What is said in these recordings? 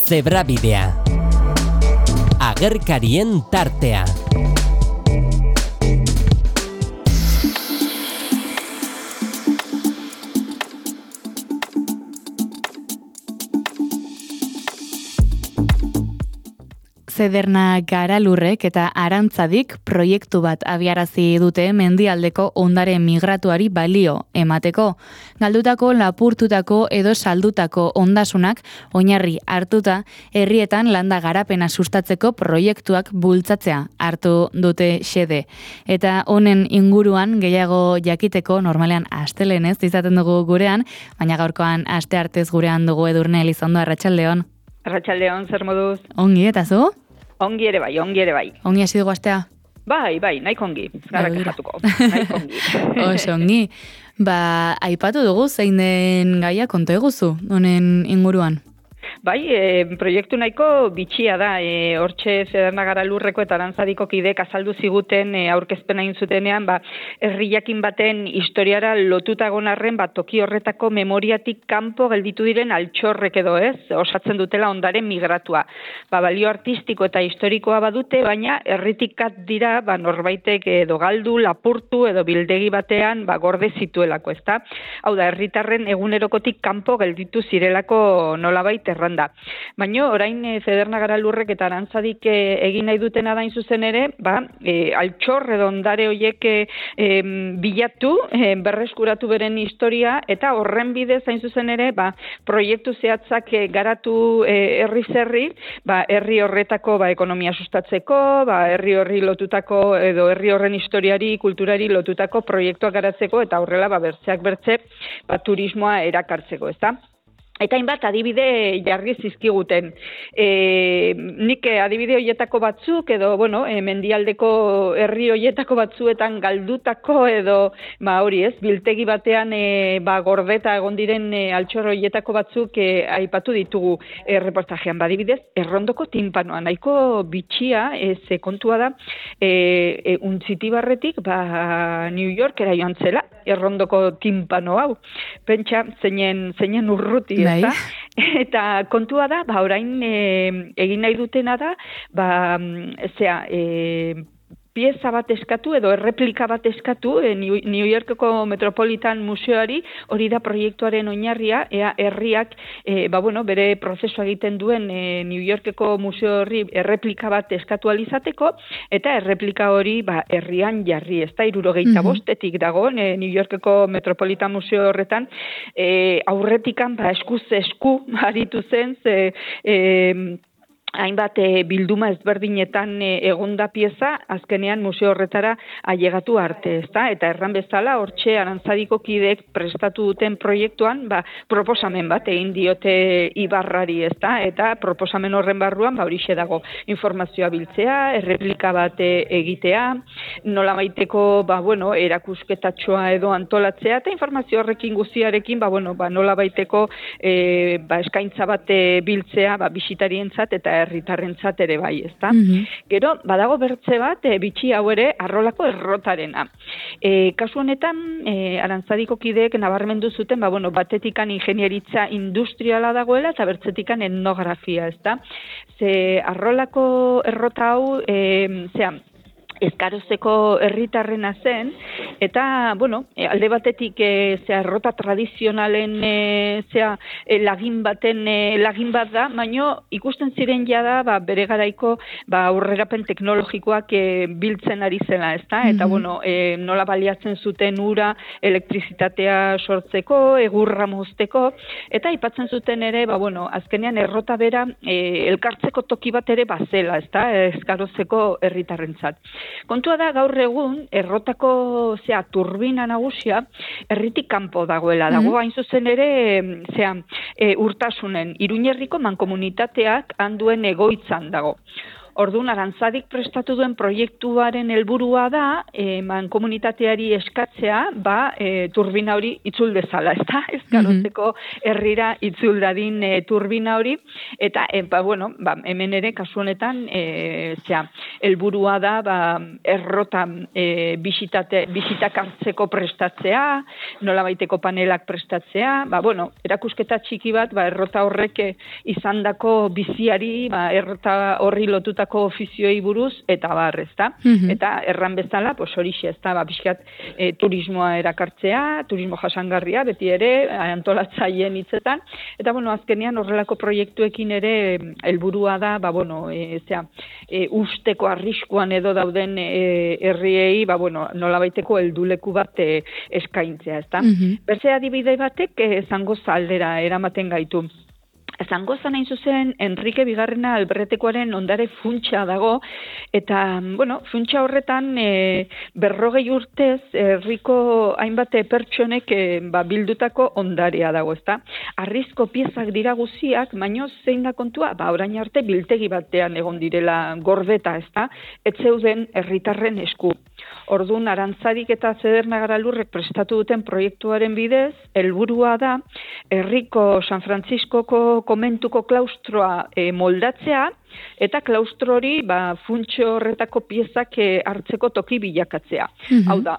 Zebrabidea. Agerkarien tartea. Zederna Garalurrek eta Arantzadik proiektu bat abiarazi dute mendialdeko ondare migratuari balio emateko. Galdutako, lapurtutako edo saldutako ondasunak oinarri hartuta herrietan landa garapena sustatzeko proiektuak bultzatzea hartu dute xede. Eta honen inguruan gehiago jakiteko normalean astelenez izaten dugu gurean, baina gaurkoan asteartez gurean dugu Edurne Elizondo. Arratsaldeon. Arratsaldeon, zer moduz? Ongi, eta zu? Ongi ere bai. Ongi hasi dugu astea? Bai, nahiko ongi. Gara kexatuko. Nahiko ongi. Oso ongi. Aipatu dugu zein den gaia konta eguzu honen inguruan? Bai, proiektu nahiko bitxia da. Hortxe Zederna Garalurreko eta Arantzadiko kideek azaldu ziguten aurkezpena egin zutenean, herri jakin baten historiara lotuta egon arren, toki horretako memoriatik kanpo gelditu diren altxorrek edo osatzen dutela ondare migratua. Balio artistiko eta historikoa badute, baina herritikat dira norbaitek edo galdu, lapurtu edo bildegi batean gorde zituelako, ezta? Hau da, herritarren egunerokotik kanpo gelditu zirelako nolabait erranda. Baina orain Zederna Garalurrek eta Arantzadik egin nahi dutena da zuzen ere, altxor edo ondare horiek bilatu, berreskuratu beren historia, eta horren bidez hain zuzen ere, proiektu zehatzak garatu herri-zerri, herri horretako ekonomia sustatzeko, herri horri lotutako edo herri horren historiari, kulturari lotutako proiektuak garatzeko, eta horrela bertzeak bertze turismoa erakartzeko, ezta? Eta hainbat adibide jarri zizkiguten. Nik adibide horietako batzuk edo, mendialdeko herri horietako batzuetan galdutako edo, biltegi batean gordeta egon diren altxor horietako batzuk aipatu ditugu reportajean. Adibidez, Errondoko tinpanoa, nahiko bitxia, kontua da, Untzitibarretik, New Yorkera joan zela, Errondoko tinpano hau. Pentsa, zeinen urruti, ezta? Eta kontua da, orain egin nahi dutena da, pieza bat eskatu edo erreplika bat eskatu New Yorkeko Metropolitan Museoari, hori da proiektuaren oinarria, herriak bere prozesua egiten duen New Yorkeko museo horri erreplika bat eskatu alizateko, eta erreplika hori herrian jarri, ez da, 75 dago New Yorkeko Metropolitan Museo horretan, aurretikan eskuz esku aritu zen, hainbat bilduma ezberdinetan egonda pieza, azkenean museo horretara ailegatu arte, ezta? Eta erran bezala, hortxe Arantzadiko kideek prestatu duten proiektuan, proposamen bat egin diote Ibarrari, ezta? Eta proposamen horren barruan, horixe dago, informazioa biltzea, erreplika bat egitea, nola baiteko, erakusketatxoa edo antolatzea, eta informazio horrekin guztiarekin, nola baiteko eskaintza bat biltzea, bisitarientzat eta herritarrentzat ere bai, ezta? Gero, badago bertze bat, bitxi hau ere, Arrolako errotarena. Kasu honetan, Arantzadiko kideek nabarmendu zuten, batetikan ingenieritza industriala dagoela, eta bertzetikan etnografia, ezta? Arrolako errota hau, Ezkarozeko herritarrena zen, eta, alde batetik errota tradizionalen lagin bat da, baina ikusten ziren jada bere garaiko aurrerapen teknologikoak biltzen ari zela, ezta? Eta, nola baliatzen zuten ura, elektrizitatea sortzeko, egurra mozteko, eta aipatzen zuten ere, azkenean errota bera elkartzeko toki bat ere bazela, ezta? Ezkarozeko herritarrentzat. Kontua da, gaur egun, errotako turbina nagusia herritik kanpo dagoela. Dago hain zuzen ere urtasunen, Iruñerriko mankomunitateak handuen egoitzan dago. Orduan, Arantzadik prestatu duen proiektuaren helburua da, mankomunitateari eskatzea, turbina hori itzul dezala, ezta? Ez garotzeko herrira itzul dadin turbina hori, eta, hemen ere, kasu honetan, helburua da, errota bisitak hartzeko prestatzea, nolabaiteko panelak prestatzea, erakusketa txiki bat, errota horrek izandako biziari, errota horri lotutako ofizioei buruz, eta ezta? Eta erran bezala, horixe, ezta, pixkat turismoa erakartzea, turismo jasangarria, beti ere, antolatzaileen hitzetan, eta, azkenean horrelako proiektuekin ere helburua da, usteko arriskuan edo dauden herriei, nolabaiteko helduleku bat eskaintzea, ezta? Berze adibide batek Zangoza aldera eramaten gaitu. Zangozan hain zuzen, Enrique Bigarrena Alberretekoaren ondare funtsa dago, eta, funtsa horretan 40 urtez herriko hainbat pertsonek bildutako ondarea dago, ezta? Arrizko piezak dira guziak, baino zein da kontua? Orain arte biltegi batean egon direla gordeta, ezta? Ez zeuden herritarren esku. Orduan, Arantzadik eta Zedernagara Lurrek prestatu duten proiektuaren bidez, helburua da, herriko San Frantziskoko komentuko klaustroa moldatzea, eta klaustro hori funtxo horretako piezak hartzeko toki bilakatzea. Hau da,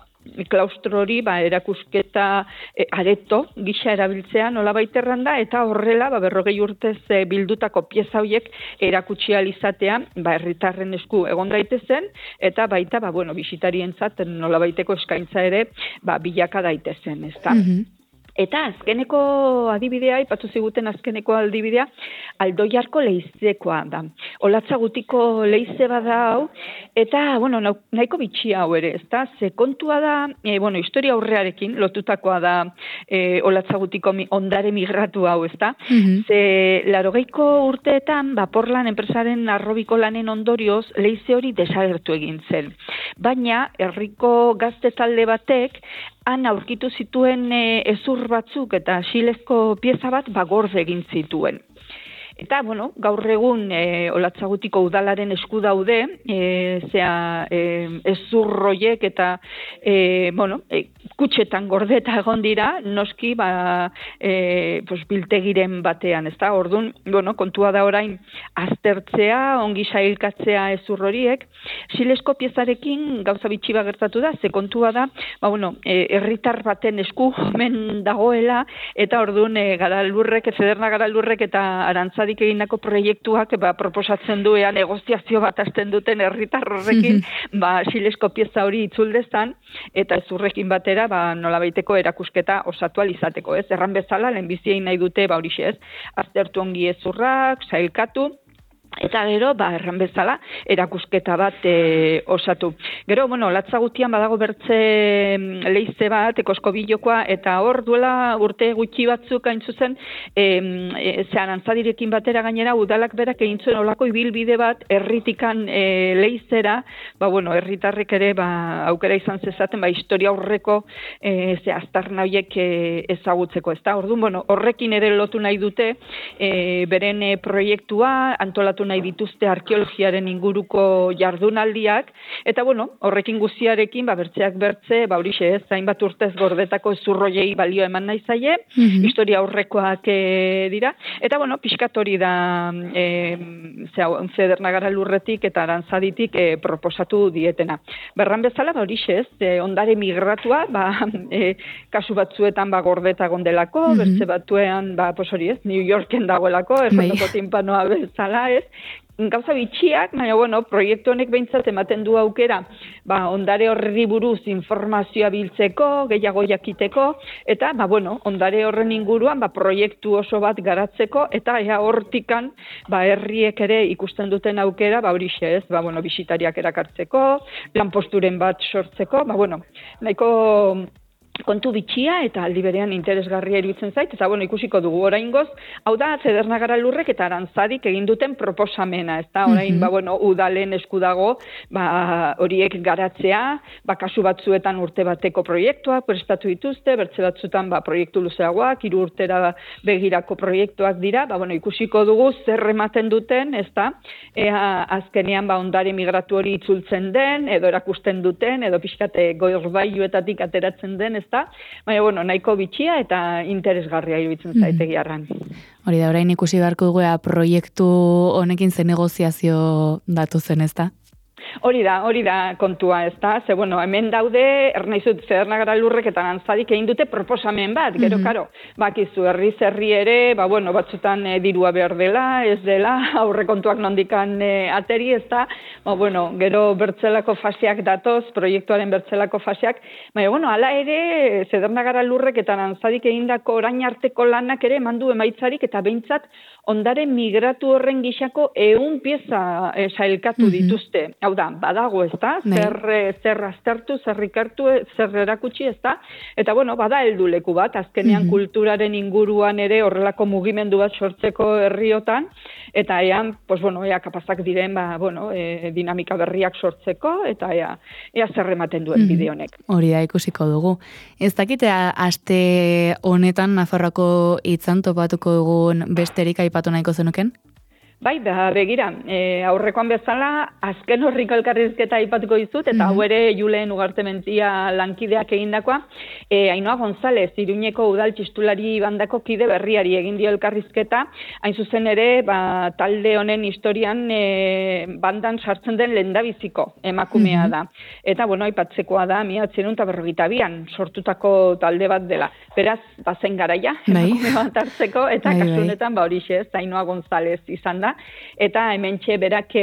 klaustro hori erakusketa areto gisa erabiltzea nolabait erranda, eta horrela 40 urtez bildutako pieza horiek erakutsi ahal izatea herritarren esku egon daitezen, eta baita bisitarientzat nolabaiteko eskaintza ere bilaka daitezen, ezta? Eta azkeneko adibidea, ipatu ziguten azkeneko adibidea, Aldoiarko leizekoa da. Olatza gutiko leize bada hau, eta, nahiko bitxi hau ere, ezta? Ze kontua da, historia aurrearekin lotutakoa da Olatza gutiko ondare migratu hau, ezta? Ze 80ko urteetan, Porlan enpresaren arrobiko lanen ondorioz, leize hori desagertu egin zen. Baina, herriko gazte talde batek, han aurkitu zituen hezur batzuk eta xilezko pieza bat gorde egin zituen. Eta, gaur egun Olatzagutiko udalaren esku daude, hezurroiek eta, kutxetan gordeta egon dira, noski, biltegiren batean, ezta? Orduan, kontua da orain aztertzea, ongi sailkatzea hezurroriek, xilezko piezarekin gauza bitxi gertatu da, ze kontua da, herritar baten esku omen dagoela, eta orduan Zedernagara Lurrek eta Arantzadik egindako proiektuak proposatzen duean negoziazio bat hasten duten herritar horrekin, xilezko pieza hori itzuldezan, eta hezurrekin batera nolabaiteko erakusketa osatu ahal izateko, ez? Erran bezala, lehenbiziein nahi dute, horixe ez, aztertu ongi hezurrak, sailkatu, eta gero, erran bezala, erakusketa bat osatu. Gero, Latzagutian badago bertze leize bat, Koskobilokoa, eta hor duela urte gutxi batzuk hain zuzen, Arantzadirekin batera gainera, udalak berak egin zuen olako ibilbide bat, herritikan leizera, herritarrek ere aukera izan zezaten, historia aurreko aztarna horiek ezagutzeko, ezta? Orduan, horrekin ere lotu nahi dute, beren proiektua, antolatu nahi dituzte arkeologiaren inguruko jardunaldiak, eta horrekin guztiarekin, bertzeak bertze, horixe ez, hainbat urtez gordetako hezurroiei balio eman nahi zaie, historia aurrekoak dira, eta pixkat hori da Zedernagara Lurretik eta Arantzaditik proposatu dietena. Berran bezala, horixe ez, ondare migratua, kasu batzuetan gordeta gondelako, bertze batuean, hori ez, New Yorken dagoelako, errotoko timpanoa bezala ez, gauza bitxiak, baina, proiektu honek behintzat ematen du aukera, ondare horri buruz informazioa biltzeko, gehiago jakiteko, eta, ondare horren inguruan, proiektu oso bat garatzeko, eta hortikan, herriek ere ikusten duten aukera, horixe ez, bisitariak erakartzeko, lanposturen bat sortzeko, nahiko kontu bitxia eta aldi berean interesgarria iruditzen zait, eta ikusiko dugu oraingoz, hau da Zederna Garalurrek eta Arantzadik egin duten proposamena, ezta? Orain, udalen esku dago, horiek garatzea, kasu batzuetan urte bateko proiektuak prestatu dituzte, bertze batzuetan proiektu luzeagoak, 3 urtera begirako proiektuak dira, ikusiko dugu zer ematen duten, ezta? Azkenean ondare migratu hori itzultzen den, edo erakusten duten, edo pixkate goirbailuetatik ateratzen den, ezta? Baina, nahiko bitxia eta interesgarria iruditzen zaitegiarran. Hori da, orain ikusi beharko dugu proiektu honekin zen negoziazio datu zen, ezta? Hori da kontua, ezta? Ze, hemen daude, ernaizut Zederna Garalurrek eta Arantzadik egin dute proposamen bat, gero, karo, bakizu, herri ere, batzutan dirua behar dela, ez dela, aurrekontuak nondikan ateri, ezta? Gero bertzelako faseak datoz, proiektuaren bertzelako faseak, hala ere, Zederna Garalurrek eta Arantzadik egindako orain arteko lanak ere emandu emaitzarik, eta behintzat, ondare migratu horren gixako 100 pieza sailkatu dituzte. Hau da, badago, ezta? Zer aztertu, zer ikertu, zer erakutsi, ezta? Eta, bada helduleku bat, azkenean kulturaren inguruan ere horrelako mugimendu bat sortzeko herriotan, eta ean, ea kapazak diren, dinamika berriak sortzeko, eta ea zer ematen duen bide honek. Hori da, ikusiko dugu. Ez dakitea, aste honetan Nafarroako hitzan topatuko dugun besterik aipatu nahiko zenuken? Bai, begira, aurrekoan bezala, azken horriko elkarrizketa aipatuko dizut, eta hau ere Julen Ugartementia lankideak egindakoa, Ainhoa González, Iruñeko udal txistulari bandako kide berriari egin dio elkarrizketa, hain zuzen ere, talde honen historian bandan sartzen den lehendabiziko emakumea da. Eta, aipatzekoa da, 1942an sortutako talde bat dela. Beraz, bazen garaia, emakume bat hartzeko, eta kasunetan, horixe, Ainhoa González izan da. Eta hementxe berak,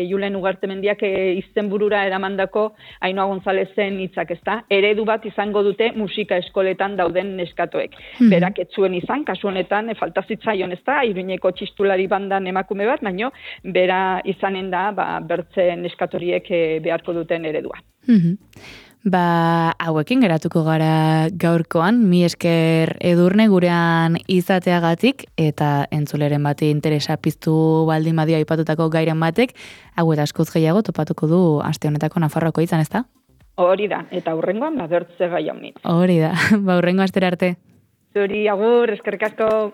Julen Ugartemendiak izenburura eramandako Ainhoa Gonzálezen hitzak, ezta? Eredu bat izango dute musika eskoletan dauden neskatoek. Berak ez zuen izan, kasu honetan, falta zitzaion, ezta? Iruñeko txistulari bandan emakume bat, baino bera izanen da, bertze neskatoriek beharko duten eredua. Hauekin geratuko gara gaurkoan, mi esker Edurne gurean izateagatik, eta entzuleren bati interesa piztu baldin badio aipatutako gairen batek, hau eta askoz gehiago topatuko du aste honetako Nafarroako hitzan, ezta? Hori da, eta hurrengoan bertze gai honit. Hori da, hurrengo astera arte. Zuri, agur, eskerrik asko.